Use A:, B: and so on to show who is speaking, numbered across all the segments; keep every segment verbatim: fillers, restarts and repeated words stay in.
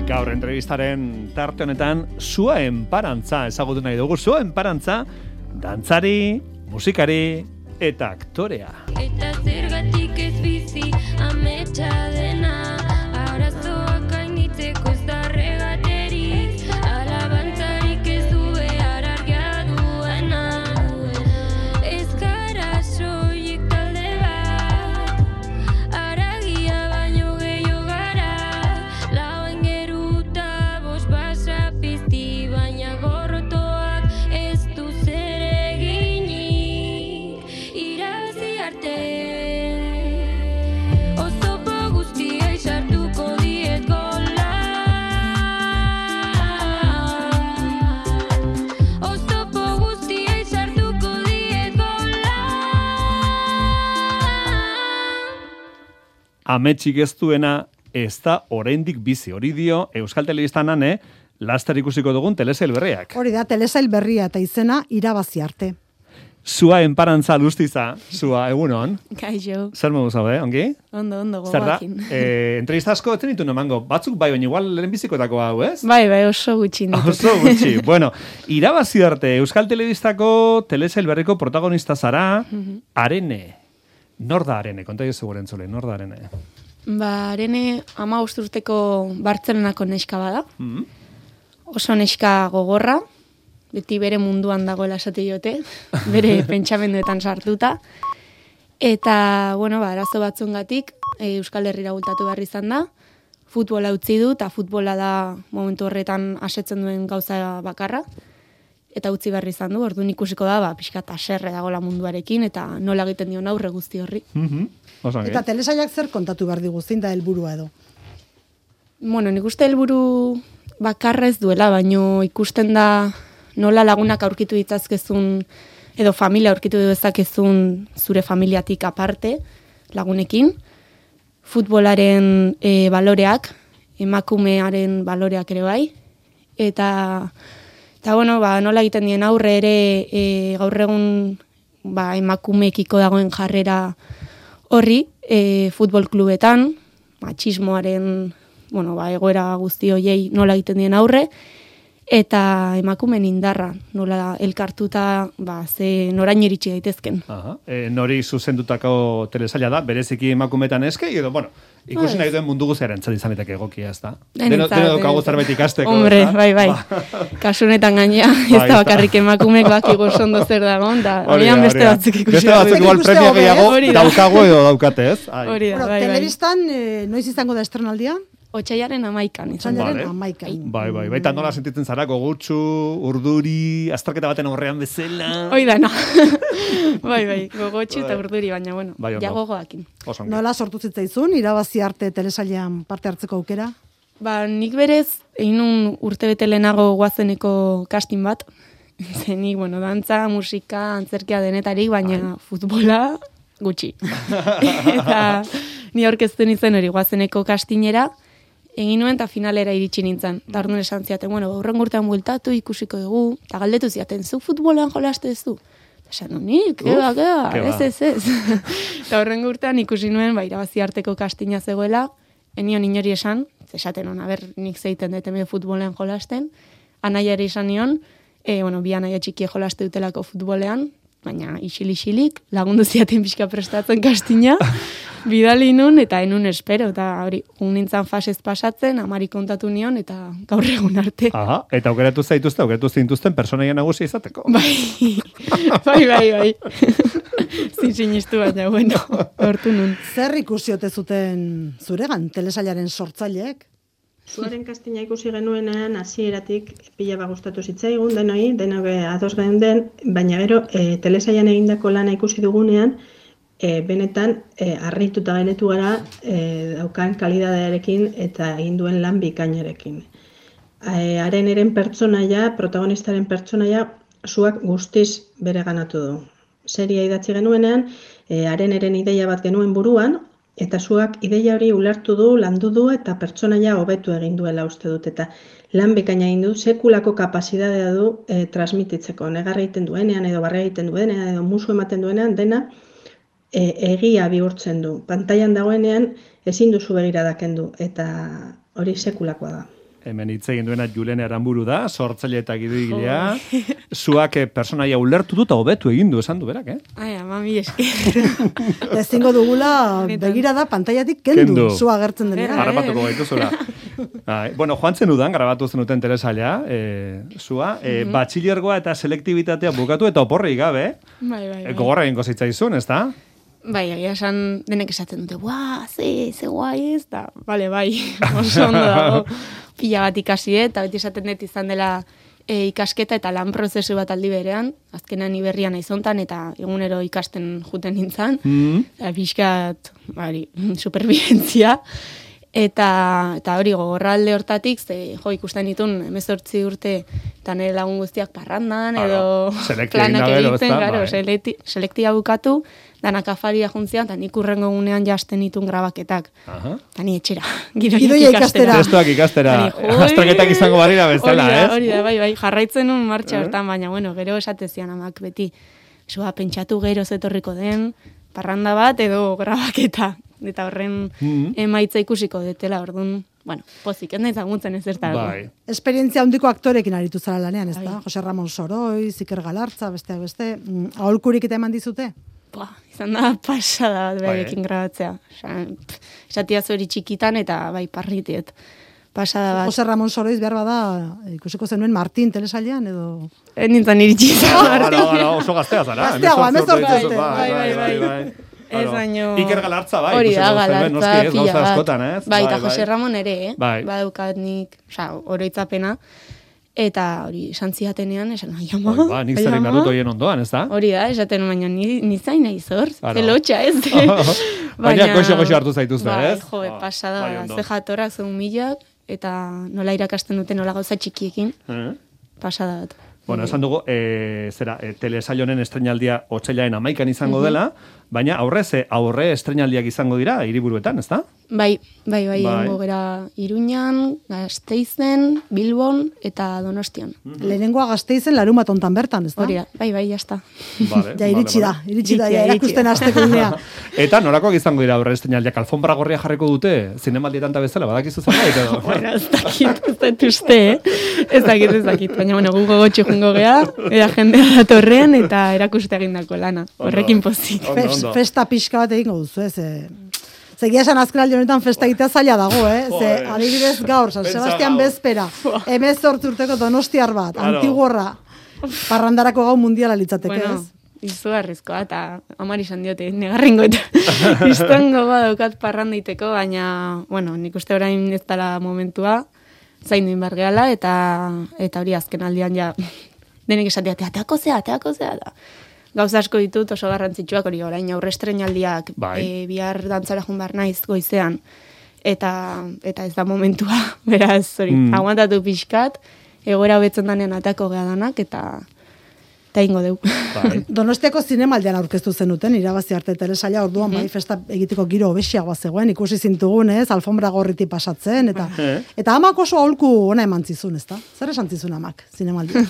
A: Gaur entrevistaren tarte honetan Sua Enparantza ezagutu nahi dugu. Sua Enparantza dantzari, musikari eta aktorea.
B: Eta zergatik ez bizi ametsa dena, arazoak gainditzeko ez da regaterik, alabantzarik ez du behar argia duena. Ez gara soilik talde bat, haragia baino gehiago gara, lauen geruta bost basa pizti, baina gorrotoak ez du zer eginik, irabazi arte. Oztopo guztiei sartuko diet gola, oztopo guztiei sartuko diet gola.
A: Ametsik ez duena ez da oraindik bizi. Hori dio Euskal Telebistan ane, laster ikusiko dugun telesail berriak.
C: Hori da, telesail berria eta izena irabazi arte.
A: Sua Enparantza Lustiza, Sua, egunon.
D: Kaixo,
A: Zer modu zaude, ongi?
D: ondo, ondo,
A: Zer da?
D: gogoakin.
A: Eh, entrevista asko etzen ditu emango. Batzuk bai, baina igual lehen bizikotako hau, ez?
D: Bai, bai, oso gutxi ditut.
A: Oso gutxi. Bueno, irabazi arte, Euskal Telebistako telesail berriko protagonista zara, Arene. Nor da Arene? Konta jozu gure entzule, nor da Arene?
D: Ba, arene ama urteko Bartzelonako neska bada.
A: Mm.
D: Oso neska gogorra, beti bere munduan dagoela esate diote, bere pentsamenduetan sartuta. Eta, bueno, ba, arazo batzungatik e, Euskal Herrira bultatu behar izan da, futbola utzi du, eta futbola da momentu horretan asetzen duen gauza bakarra, eta utzi behar izan du, orduan ikusiko da, ba, pixkat haserre dagoela munduarekin, eta nola egiten dion aurre guzti horri.
A: Mhm. Oso ongi.
C: Eta telesailak zer kontatu behar digu, zein da helburua edo.
D: Bueno, nik uste helburu bakarra ez duela, baino ikusten da nola lagunak aurkitu ditzazkezun, edo familia aurkitu dezakezun zure familiatik aparte, lagunekin, futbolaren e, baloreak, emakumearen baloreak ere bai, eta, eta bueno, ba, nola egiten dien aurre ere e, gaur egun ba, emakumeekiko dagoen jarrera horri, e, futbol klubetan, matxismoaren bueno, ba, egoera guzti hoiei nola egiten dien aurre, eta emakumen indarra, nola elkartuta, ba, ze norain iritsi daitezken.
A: Aha. E, nori zuzendutako telesaila da, bereziki emakumetan eske, edo, bueno, ikusi nahi duen mundu guztiaren entzat izaneteke egokia, ez da? Deno,
D: Denentzat,
A: deno daukagu
D: denentzat.
A: zerbait ikasteko,
D: Hombre,
A: ez da?
D: bai, bai.
A: Ba.
D: Kasunetan gainea, ez
A: Bai,
D: da bakarrik emakumek bakigu ondo zer dagoen, da
A: Hori da,
D: horian beste
A: hori da.
D: batzuk ikusi.
A: Beste batzuk igual
C: Ikuste
A: premia
C: hobe,
A: gehiago
D: hori da.
A: daukagu edo daukate, ez? Ai.
D: Hori da,
C: Bueno,
D: bai, bai.
C: telebistan, eh, noiz izango da estrenaldia?
D: Otsailaren amaikan, izan da.
C: Otsailaren
A: Vale.
C: hamaikan.
A: Bai, bai, baita nola sentitzen zara, gogutsu, urduri, azterketa baten aurrean bezala.
D: Hoi dana. bai, bai, gogotxu eta urduri, baina, bueno,
A: Bai, ondo.
D: ja gogoakin.
A: Oso ongi.
C: Nola sortu zitzaizun, irabazi arte telesailean parte hartzeko aukera?
D: Ba, nik berez, egin un urte bete lehenago guazeneko casting bat. Zenik, bueno, dantza, musika, antzerkia denetarik, baina futbola gutxi. Eta ni aurkezten izen hori guazeneko castingera, egin nuen eta finalera iritsi nintzen. Eta orduan esan ziaten, bueno, aurren urtean bueltatu ikusiko dugu, eta galdetu ziaten, zu futbolean jolaste ez du? Esan, no, nik, keba, keba,
A: keba.
D: ez, ez, ez. Eta horren urtean ikusi nuen, ba, irabazi arteko kastina zegoela, enion inori esan, esaten hona, ber, nik zeiten dut hemen futbolean jolasten, anaiari esan nion, e, bueno, bi anaia txikie jolaste dutelako futbolean, baina isil-isilik, lagundu ziaten pixka prestatzen kastina, bidali nun, eta enun espero, eta hori, nintzen fasez pasatzen, amari kontatu nion, eta gaur egun arte.
A: Aha, eta aukeratu zaituzte, aukeratu zintuzten personaia nagusia izateko.
D: Bai, bai, bai, bai. Zin sinistu baina, bueno, hortu nun.
C: Zer ikusi ote zuten zuregan, telesailaren sortzaileek?
E: Zuaren kastina ikusi genuenean hasieratik pila bat gustatu zitzaigun denoi, denok ados geunden, baina gero e, telesailan egindako lana ikusi dugunean, e, benetan e, harrituta genetu gara e, daukan kalidadearekin eta egin duen lan bikainarekin. E, haren eren pertsonaia, protagonistaren pertsonaia, zuak guztiz bere ganatu du. Seria idatzi genuenean, e, haren eren ideia bat genuen buruan, eta zuak ideia hori ulertu du, landu du eta pertsonaia hobetu egin duela uste dut. Eta lan bekaina egin du, sekulako kapazitatea du e, transmititzeko. Negarra egiten duenean, edo barra egiten duenean, edo musu ematen duenean, dena e, egia bihurtzen du. Pantailan dagoenean ezin duzu begirada kendu, eta hori sekulakoa da.
A: hemen hitz egin duena Julene Aranburu da, sortzaile eta gidoigilea. Zuak eh, personaia ulertu du eta hobetu egin du, esan du berak, eh?
D: Ai, ama, mi esker.
C: Ezingo dugula begirada pantailatik kendu,
A: Kendu.
C: zu agertzen denean.
A: Harrapatuko gaituzula. Bai, bueno, joan zendudan, grabatu zenuten telesaila, e, zua, e, batxilergoa eta selektibitatea bukatu eta oporri gabe,
D: Bai, bai,
A: e,
D: bai.
A: gogorra egingo zitzaizun, ez da?
D: Bai, egia esan denek esaten dute, buah, ze, ze guai ez, da, bale, bai, oso ondo dago, pila bat ikasi, eta beti esaten dut izan dela e, ikasketa eta lan prozesu bat aldi berean, azkenean iberrian naizontan, eta egunero ikasten juten nintzen,
A: Mm.
D: eta pixkat, bari, superbibentzia, eta, eta hori gogorralde hortatik, ze, jo, ikusten ditun, hemezortzi urte, eta nire lagun guztiak parrandan, edo
A: Claro, selektia egin
D: planak
A: da gero,
D: egiten,
A: ezta?
D: claro,
A: Bai.
D: selekti, selektia bukatu, danak afaria juntzian, eta nik urrengo gunean jasten ditun grabaketak.
A: Aha.
D: Eta ni etxera, gidoiak
C: Gidoia
D: ikastera.
C: ikastera.
A: Testuak ikastera,
D: Eta ni, joi,
A: azterketak izango barira bezala,
D: hori da,
A: ez?
D: Hori da, bai, bai, jarraitzen un martxa hortan, baina, bueno, gero esatezian amak beti, zua, pentsatu gero zetorriko den, parranda bat edo grabaketa, eta horren
A: Mhm.
D: emaitza ikusiko detela, orduan, bueno, pozik, ez nahi zaguntzen ez zertarako.
A: Bai.
C: Esperientzia handiko aktorekin aritu zara lanean, ez da? Jose Ramon Soroi, Iker Galartza, besteak beste, mm, aholkurik eta eman dizute?
D: Buah, izan da pasada bat
A: Bai,
D: berekin grabatzea. Osa, pff, esatia zori txikitan eta bai parritiet. Pasada bat.
C: Jose Ramon Soroiz behar bada, ikusiko zenuen Martin telesailean, edo...
D: Ez nintzen iritsi izan.
A: Gara, gara, oso gaztea zara.
C: Gazteagoa,
A: hemezortzi urte
C: hemezortzi
A: dituzu,
C: urte.
A: Bai, bai, bai, bai.
D: Ez
A: Claro.
D: baino...
A: Iker Galartza, bai.
D: Hori da,
A: ikusiko zenuen,
D: Galartza,
A: noski, ez,
D: pila
A: gauza
D: bat.
A: askotan, ez?
D: Bai, eta Jose Ramon ere, eh?
A: Bai.
D: Badaukat nik, oza, oroitzapena. Eta hori, esan zidatenean, esan, ai, ama,
A: Bai, ba, nik zer
D: ai,
A: egin behar
D: ama.
A: dut horien ondoan, ez da?
D: Hori da, esaten baina ni, ni zain nahi zor,
A: Claro.
D: zelotxa ez.
A: Baina goxo-goxo hartu zaituzte,
D: bai,
A: ez?
D: Jo,
A: Ah,
D: pasada,
A: bai,
D: bai,
A: ondo.
D: ze jatorrak, ze humilak, eta nola irakasten dute nola gauza txikiekin,
A: Eh?
D: pasada bat.
A: Bueno, esan dugu, e, zera, e, telesail honen estrenaldia otsailaren amaikan izango dela, baina aurrez, e, aurre estrenaldiak izango dira hiriburuetan, ez da?
D: Bai, bai, bai,
A: Bai.
D: egongo gera Iruñan, Gasteizen, Bilbon eta Donostian.
C: Lehenengoa Gasteizen larun bat ontan bertan, ez da?
D: Hori da, bai, bai, jazta.
A: Vale,
C: Ja, iritsi da, iritsi da,
D: Iritsi
C: ja,
D: da,
C: erakusten
D: iritsi da.
C: hasteko unea.
A: Eta norakoak izango dira aurre estrenaldiak, alfombra gorria jarriko dute, zinemaldietan ta bezala, badakizu zerbait edo?
D: Bueno, ez dakit, ez dakit uste, eh? Ez dakit, ez dakit. Baina, bueno, gugo gotxo jungo gea, eta jendea datorrean, eta erakuste egindako lana. Horrekin pozik.
A: Ondo,
C: Fes-
A: ondo.
C: Festa pixka bat egingo duzu, ez? E, Zegia esan azkenaldi honetan festa egitea zaila dago, eh? Ze,
A: Joder.
C: adibidez gaur, San
A: Pentsa
C: Sebastian
A: gaur.
C: bezpera, hemezortzi urteko donostiar bat,
A: Claro.
C: antigorra, parrandarako gau mundiala litzateke,
D: Bueno,
C: ez?
D: izugarrizkoa, eta amari izan diote, negarrengo eta izango badaukat parrandaiteko, baina, bueno, nik uste orain ez dela momentua, zain duin bargeala, eta, eta hori azken aldian ja, denek esatea, teateako zea, teako zea, da. Gauza asko ditut oso garrantzitsuak hori orain aurre estrenaldiak
A: Bai.
D: e, bihar dantzara jun behar naiz goizean eta eta ez da momentua beraz hori
A: Mm.
D: aguantatu pixkat egoera hobetzen danean atako gea danak eta eta ingo deu.
A: Bai.
C: Donostiako zinemaldian aurkeztu zenuten, irabazi arte telesaila, orduan bai festa egiteko giro hobesiagoa zegoen, ikusi zintugun, ez, alfombra gorriti pasatzen, eta
A: Eh.
C: eta amak oso aholku ona eman zizun, ezta? Zer esan zizun amak, zinemaldian?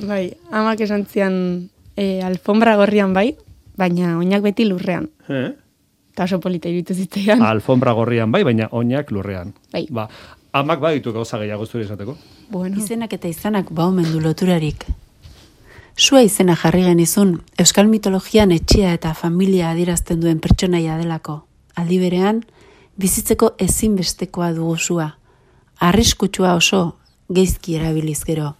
D: Bai, amak esan zian e, alfombra gorrian bai, baina oinak beti lurrean.
A: Eh?
D: Eta oso polita iruditu zitzaidan.
A: Alfombra gorrian bai, baina oinak lurrean.
D: Bai.
A: Ba, amak baditu gauza gehiago zure esateko.
D: Bueno,
F: Izenak eta izanak baumen du loturarik. Sua izena jarri genizun, euskal mitologian etxea eta familia adierazten duen pertsonaia delako. Aldi berean, bizitzeko ezinbestekoa dugu sua. Arriskutsua oso, geizki erabiliz gero.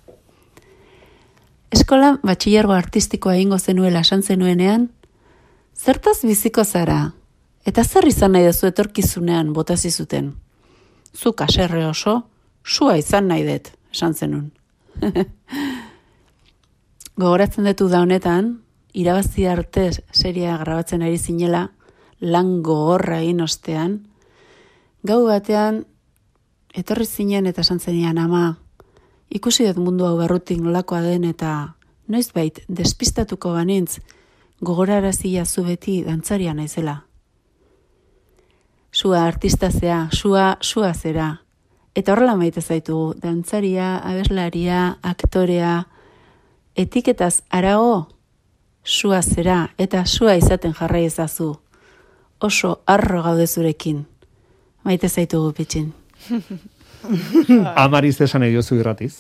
F: Eskolan batxilergo artistikoa egingo zenuela esan zenuenean, zertaz biziko zara, eta zer izan nahi duzu etorkizunean botazi zuten. Zu kaserre oso, sua izan nahi dut, esan zenun. Gogoratzen dut da honetan, irabazi arte seria grabatzen ari zinela, lan gogorra egin ostean, gau batean, etorri zinen eta esan zenian, ama, ikusi dut mundu hau barrutik nolakoa den eta noizbait despistatuko banintz, gogorarazia zu beti dantzaria naizela. Sua artista zea, sua, sua zera. Eta horrela maite zaitu, dantzaria, abeslaria, aktorea, etiketaz arago, sua zera eta sua izaten jarrai ezazu. Oso arro gaude zurekin. Maite zaitugu pitxin.
A: Amariz esan ediozu irratiz.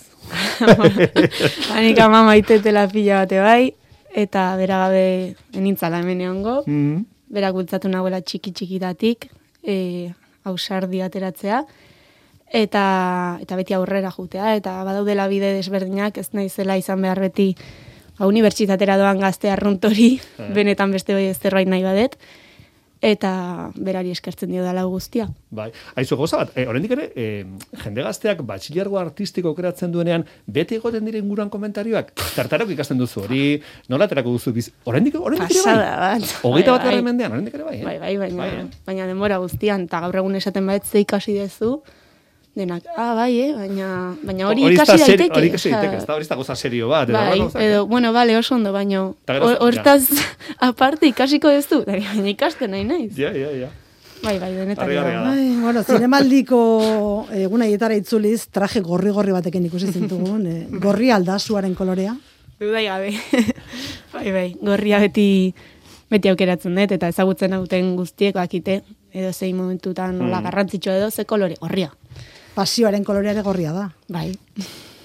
D: Hanik ama maitetela pila bate bai, eta beragabe enintzala hemen egongo.
A: Mm.
D: Berak bultzatu nagoela txiki-txikitatik, e, ausardi ateratzea, eta, eta beti aurrera jutea, eta badaudela bide desberdinak, ez naizela izan behar beti ba, unibertsitatera doan gazte arruntori, benetan beste bai zerbait nahi badet, eta berari eskertzen dio dela guztia.
A: Bai, aizu goza bat, e, oraindik ere, e, jende gazteak batxilergo artistiko kreatzen duenean, beti egoten diren guran komentarioak, tartarok ikasten duzu hori, nola aterako duzu biz, oraindik, oraindik ere bai?
D: Pasada bat.
A: Hogeita bat
D: Bai,
A: garren
D: bai.
A: mendean, oraindik ere bai, eh?
D: Bai, bai, baina,
A: Bai, eh?
D: baina denbora guztian, eta gaur egun esaten bat ze ikasi dezu, denak, ah, bai, eh, baina, baina hori
A: Hori ez da
D: ikasi
A: seri-
D: daiteke.
A: Hori ikasi
D: osea,
A: daiteke, ez da, hori ez da goza serio bat. edo
D: Bai,
A: horrelako gauzak,
D: edo,
A: eh?
D: bueno, bale, oso ondo, baina
A: Ta gero-
D: hortaz aparte ikasiko dezu, baina ikasten nahi naiz.
A: Ja, ja, ja.
D: Bai, bai, denetan.
A: Argi, argi,
D: da.
A: argi.
C: Ai, bueno, zinemaldiko egun aietara itzuliz, traje gorri-gorri batekin ikusi zintugun, eh, gorri aldasuaren kolorea.
D: Dudai gabe. bai, bai, gorria beti beti aukeratzen dut, eta ezagutzen hauten guztiek bakite, edo zein momentutan nola
A: Mm.
D: garrantzitsua edo ze kolore, gorria.
C: Pasioaren kolorea ere gorria da.
D: Bai,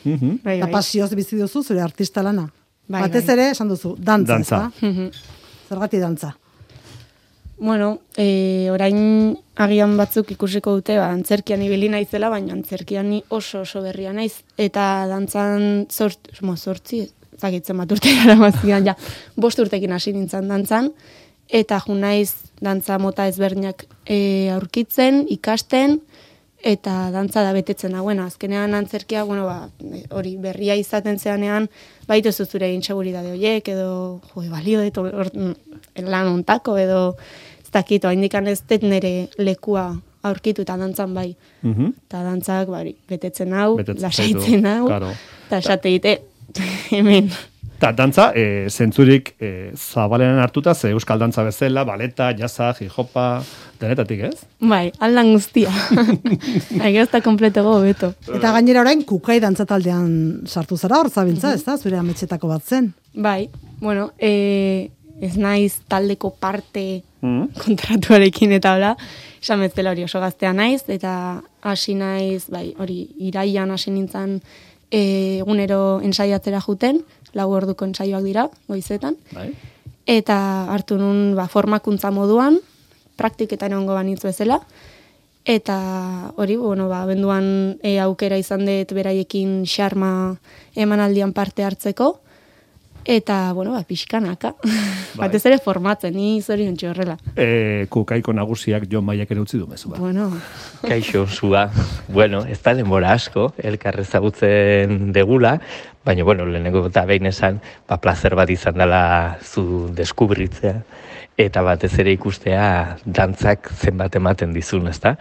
A: Mhm.
D: bai,
C: Eta
D: bai.
C: pasioz bizi duzu zure artista lana.
D: Bai,
C: Batez
D: bai.
C: ere, esan duzu, dantza,
A: Dantza.
C: ezta?
D: Mhm.
C: Zergatik dantza.
D: Bueno, e, orain agian batzuk ikusiko dute, ba, antzerkian ibili naizela, baina antzerkian ni oso oso berria naiz. Eta dantzan zort, mo, zortzi, zagitzen bat urte gara mazkian, ja, bost urtekin hasi nintzen dantzan, eta ju naiz dantza mota ezberdinak e, aurkitzen, ikasten, eta dantza da betetzen hauena. Azkenean antzerkia, bueno, ba, hori berria izaten zeanean, baituzu zure inseguridade horiek, edo, jo, balio dut, or, lan ontako, edo, ez dakit, oaindikan ez dut nire lekua aurkitu eta dantzan bai.
A: Mhm.
D: Eta dantzak, bari, betetzen hau,
A: Betetzen
D: lasaitzen
A: zaitu,
D: hau,
A: claro.
D: eta esate dite, hemen.
A: Ta dantza, e, zentzurik e, zabalenen hartuta, ze euskal dantza bezala, baleta, jazza, hip-hopa, denetatik, ez?
D: Bai, aldan guztia. Aigaz eta kompleto beto.
C: Eta gainera orain kukai dantza taldean sartu zara hor zabiltza, ez da? Zure ametxetako bat zen.
D: Bai, bueno, e, ez naiz taldeko parte
A: Mm.
D: kontratuarekin eta hola, esan bezala hori oso gaztea naiz, eta hasi naiz, bai, hori iraian hasi nintzen e, egunero ensaiatzera juten, lau orduko ensaioak dira, goizetan,
A: Bai.
D: eta hartu nun ba, formakuntza moduan, praktiketan egongo banitz bezala, eta hori, bueno, ba, benduan e, aukera izan dut beraiekin xarma emanaldian parte hartzeko, eta, bueno, ba, pixkanaka. Batez ere formatzen, ni zorion horrela.
A: E, kukaiko nagusiak Jon Maiak ere utzi du mezu bat.
D: Bueno,
G: Kaixo, zua. Bueno, ez da denbora asko, elkar ezagutzen degula, baina, bueno, lehenengo eta behin esan, ba, plazer bat izan dela zu deskubritzea, eta batez ere ikustea dantzak zenbat ematen dizun, ezta?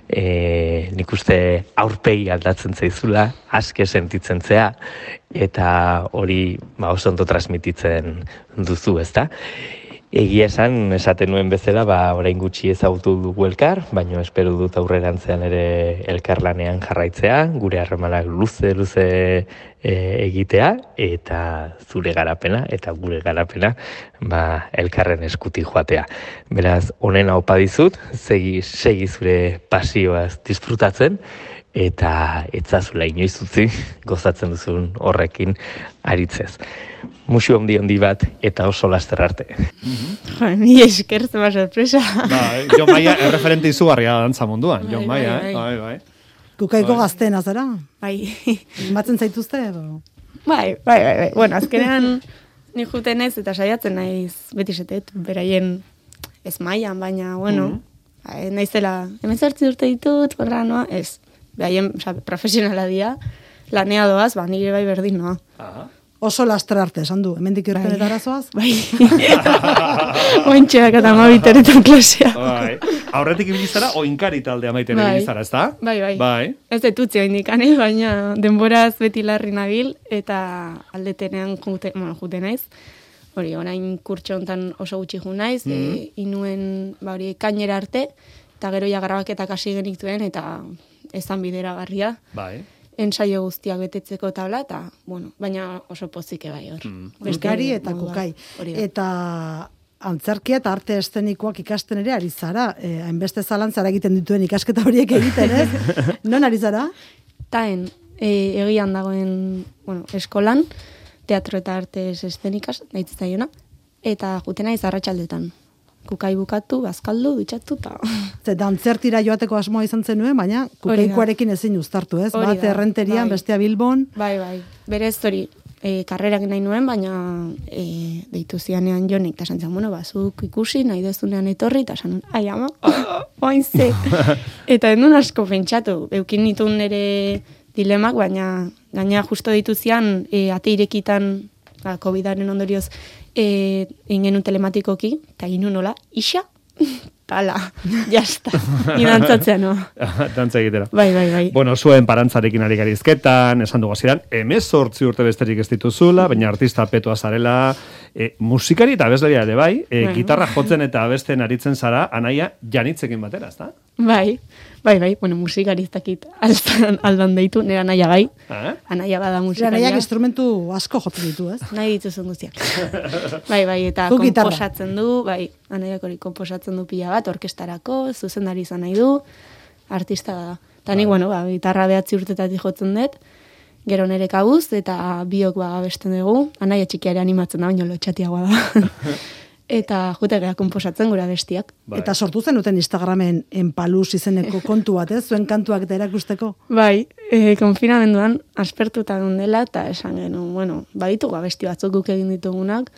G: E, nik uste aurpegi aldatzen zaizula, aske sentitzen zea, eta hori ba, oso ondo transmititzen duzu, ezta? Egia esan, esaten nuen bezala, ba, orain gutxi ezagutu dugu elkar, baina espero dut aurrerantzean ere elkarlanean jarraitzea, gure harremanak luze, luze e, egitea, eta zure garapena, eta gure garapena, ba, elkarren eskuti joatea. Beraz, onena opa dizut, segi, segi zure pasioaz disfrutatzen, eta etzazula inoiz utzi gozatzen duzun horrekin aritzez. Musu handi handi bat eta oso laster arte.
D: jo, ni esker zema sorpresa.
A: Bai, Jon Maia erreferente izugarria da dantza munduan. Jon
D: Bai,
A: Maia,
D: bai,
A: eh?
D: bai.
A: Bai, bai.
C: Kukaiko
A: Bai.
C: gazteena zara?
D: Bai,
C: Batzen zaituzte edo?
D: bai, bai, bai, bai. Bueno, azkenean ni juten ez eta saiatzen naiz beti setet, beraien ez mailan, baina, bueno, mm naizela, hemen zartzi urte ditut, horra noa, ez. Beraien, oza, profesionala dia, lanea doaz, ba, nire bai berdin noa.
A: Aha.
C: Oso laster arte, esan du. Hemendik
D: Bai.
C: irtenetara zoaz?
D: Bai. Ointxeak eta mabiteretan klasea.
A: Bai. Aurretik ibili zara, oinkari taldea maiten
D: Bai.
A: ibili zara, ezta?
D: Bai, bai.
A: Bai.
D: Ez dut utzi oindikan, eh? Baina denboraz beti larri nabil, eta aldetenean jute, bueno, jute naiz. Hori, orain kurtso hontan oso gutxi ju naiz, e, inuen, ba hori, kainera arte, eta gero ja grabaketak hasi genituen, eta ezan bideragarria.
A: Bai.
D: Ensaio guztiak betetzeko tabla, eta, bueno, baina oso pozike bai hor. Beste
C: Kuskari eta
D: modu bat.
C: kukai.
D: Hori da.
C: Eta antzerkia eta arte eszenikoak ikasten ere ari zara. Eh, hainbeste zalantzara egiten dituen ikasketa horiek egiten, ez? Non ari zara?
D: Taen, e, egian dagoen, bueno, eskolan, teatro eta artes eszenikas, nahitzen zaiona, eta juten naiz arratsaldetan. Kukai bukatu, bazkaldu, dutxatu, eta...
C: Zeta antzertira joateko asmoa izan zenuen, baina kukaikoarekin ezin uztartu, ez?
D: Hori
C: Bat
D: da,
C: errenterian,
D: bai.
C: bestea Bilbon.
D: Bai, bai, berez hori, e, karrerak nahi nuen, baina e, deitu zianean jonik, eta esan zen, bueno, bazuk ikusi, nahi dezunean etorri, eta esan, ai ama, oain ze. Eta endun asko pentsatu, eukin nitun nire dilemak, baina gaina justo ditu zian, e, ate irekitan, ba, COVIDaren ondorioz, e, ingenu telematikoki, eta ginu nola, isa, tala, jasta, idantzatzea, no?
A: Dantza egitera.
D: Bai, bai, bai.
A: Bueno, zuen parantzarekin ari garizketan, esan dugu hasieran, hemezortzi urte besterik ez dituzula, baina artista petoa zarela, e, musikari eta abeslaria ere bai, e,
D: Bai.
A: gitarra jotzen eta abesten aritzen zara, anaia janitzekin batera, ezta?
D: Bai, bai, bai, bueno, musikari ez dakit aldan, aldan deitu, nera naia bai,
A: Eh?
D: anaia bada
C: Zera
D: musikaria.
C: nahiak instrumentu asko jotzen ditu, ez?
D: Nahi dituzun guztiak. bai, bai, eta
C: Zuk gitarra.
D: konposatzen du, bai, anaiak hori konposatzen du pila bat, orkestarako, zuzendari izan nahi du, artista da. Eta nik, bueno, ba, gitarra behatzi urtetatik jotzen dut, gero nere kabuz, eta biok ba abesten dugu, anaia txikiare animatzen da, baina lotxatiagoa da. Eta jute gara konposatzen gura bestiak.
A: Bai.
C: Eta sortu zen duten Instagramen enpaluz izeneko kontu bat, ez? Zuen kantuak eta erakusteko.
D: Bai, e, konfinamenduan aspertuta dela eta esan genuen, bueno, baditugu abesti batzuk guk egin ditugunak,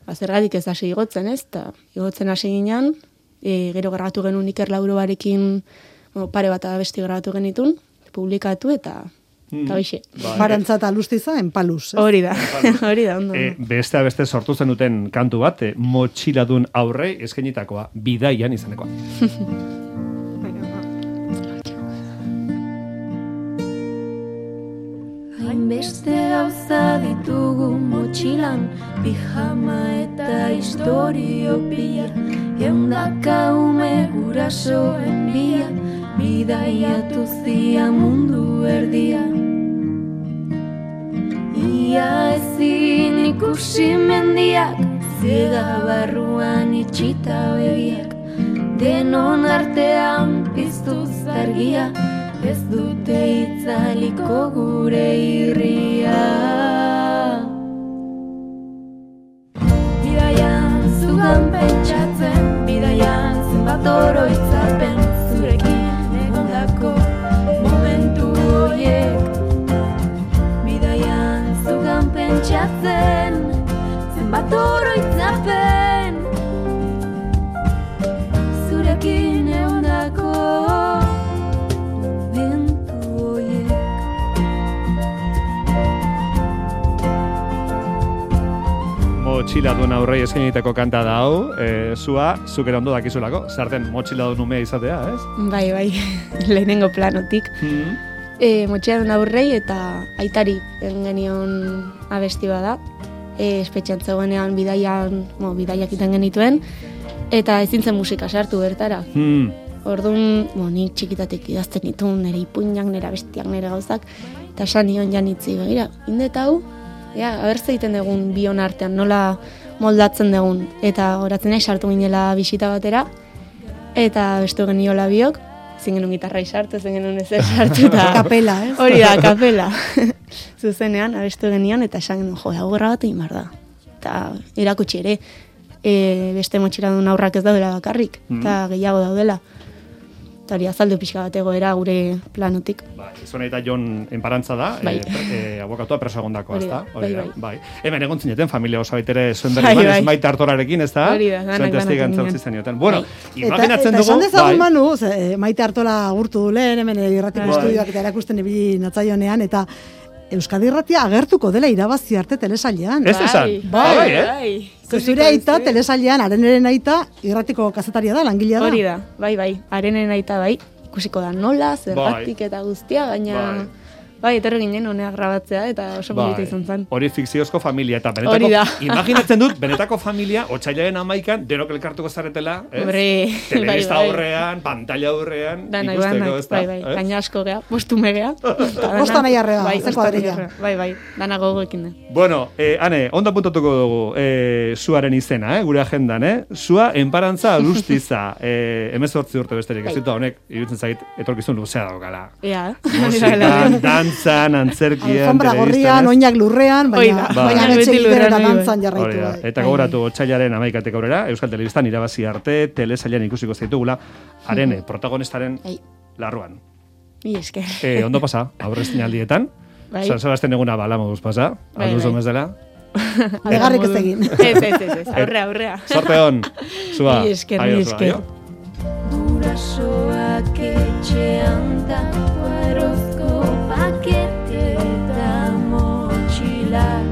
D: ba, zergatik ez hasi igotzen, ez? Ta igotzen hasi ginen, e, gero grabatu genuen Iker Laurobarekin, bueno, pare bat abesti grabatu genitun, publikatu eta eta hoxe.
A: Bai.
C: Barantza eta alustiza enpaluz. ez?
D: Hori da, hori da, ondo.
A: E,
D: ondo.
A: beste beste sortu zen duten kantu bat, e, motxiladun aurrei eskainitakoa, bidaian izanekoa.
B: Hainbeste gauza ditugu motxilan, pijama eta historio pila, eundaka ume gurasoen bila, bidaiatu zia mundu erdia. Ia ezin ikusi mendiak, ziega barruan itxita begiak, denon artean piztuz argia, ez dute itzaliko gure irria. Bidaian zugan pentsatzen, bidaian zenbat oroitzapen, zurekin egondako momentu horiek. Bidaian zugan pentsatzen, zenbat oroitzapen, zurekin egondako
A: Motxiladun aurrei eskainitako kanta da hau, e, zua, zuk ere ondo dakizulako, zarten motxiladun umea izatea, ez?
D: Bai, bai, lehenengo planotik.
A: Mm.
D: E, motxeadun aurrei eta aitari egin genion abesti bada. E, espetxean zegoenean bidaian, mo, bidaiak iten genituen, eta ezin zen musika sartu bertara.
A: Mm.
D: Orduan, mo, nik txikitatik idazten ditun, nire ipuinak, nire abestiak, nire gauzak, eta esan nion janitzi, begira, indet hau, ja, abertze egiten dugun bion artean, nola moldatzen dugun, eta horatzen nahi sartu ginela bisita batera, eta bestu geniola biok, ezin genuen gitarra sartu, ezin genuen ezer sartu, eta
C: Kapela, ez?
D: hori da, kapela. Zuzenean, abestu genion, eta esan genuen, jo, hau gerra bat egin behar da. Eta irakutsi ere, e, beste motxiladun aurrak ez daudela bakarrik, eta gehiago daudela. Eta hori azaldu pixka bat egoera gure planotik.
A: Bai, zuena eta Jon enparantza da,
D: Bai.
A: e, pre- e, abokatua preso egondakoa,
D: Hori
A: ez
D: da,
A: da? Hori da,
D: bai,
A: bai. Hemen egon zineten, familia oso baitere zuen
D: Bai,
A: berri
D: bai.
A: maite hartorarekin, ez da?
D: Hori da, danak
A: Zuen
D: banatzen
A: testigantza
D: ginen.
A: utzi zenioten. Bueno,
C: Eta,
A: imaginatzen
C: eta
A: dugu,
C: esan dezagun,
A: bai.
C: Manu, ze, eh, Maite Artola agurtu du lehen, hemen irratiko
A: Bai.
C: estudioak eta erakusten ibili natzaionean, eta Euskadi Irratia agertuko dela irabazi arte telesailean.
A: Ez esan?
C: Bai,
A: bai, eh?
D: bai.
C: Ze Zure aita telesailean, areneren aita, irratiko kazetaria da, langilea da.
D: Hori da, bai, bai, arenen aita bai, ikusiko da nola, zergatik eta guztia, baina,
A: Bai.
D: Bai, etorri ginen honea grabatzea, eta oso
A: Bai,
D: polita izan zen.
A: hori fikziozko familia, eta
D: Hori
A: benetako,
D: da.
A: imaginatzen dut, benetako familia, otxailaren amaikan, denok elkartuko zaretela, ez?
D: Hombre,
A: Telebista
D: bai, bai.
A: aurrean, pantalla aurrean,
D: Dana,
A: ikusteko,
D: dana,
A: ez da?
D: bai, bai,
A: ez?
D: gaina asko gea, bostume gea.
C: Bostan nahi arreba,
D: bai,
C: ze
D: bostan
C: kuadrilla.
D: nahi arreba, Bai, bai, dana gogoekin da.
A: Bueno, eh, Ane, ondo puntatuko dugu eh, zuaren izena, eh, gure agendan, eh? Zua, enparantza alustiza, eh, emezortzi urte besterik, ez ditu honek, iruditzen zait, etorkizun luzea daukala.
D: Ea,
A: Musikan, dantzan, antzerkian,
C: Alfombra gorrian,
A: telebistan, ez?
C: oinak lurrean,
D: Hoi
C: baina,
D: da.
C: baina
A: Bai.
C: betxe
D: Beti
C: giderera
D: lurrean, bai,
C: dantzan
A: Hori
C: jarraitu.
A: da.
C: bai.
A: Eta gogoratu otsailaren amaikatek aurrera, Euskal Telebistan irabazi arte, telesailan ikusiko zaitugula, haren eh, protagonistaren
D: Ei.
A: larruan.
D: Mi esker.
A: Eh, ondo pasa, aurrezten aldietan,
D: Bai.
A: San Sebastian eguna bala moduz pasa,
D: Bai,
A: alduzu
D: bai.
A: mezela.
C: Alegarrik ez egin.
D: Ez, ez, ez, ez, aurrea, aurrea.
A: Sorte hon, zua.
D: Mi esker,
A: Aio,
D: mi
A: zua,
D: esker.
A: aio.
B: Gurasoak etxean dako erozko pakete eta motxilak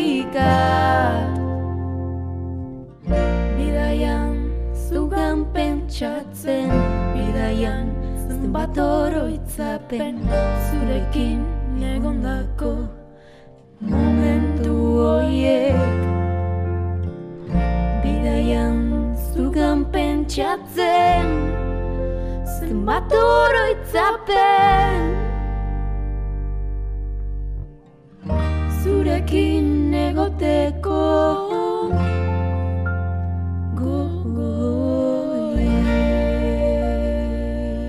B: hemendikat bidaian zugan pentsatzen bidaian zenbat oroitzapen zurekin egondako momentu hoiek bidaian zugan pentsatzen zenbat oroitzapen zurekin egoteko gogo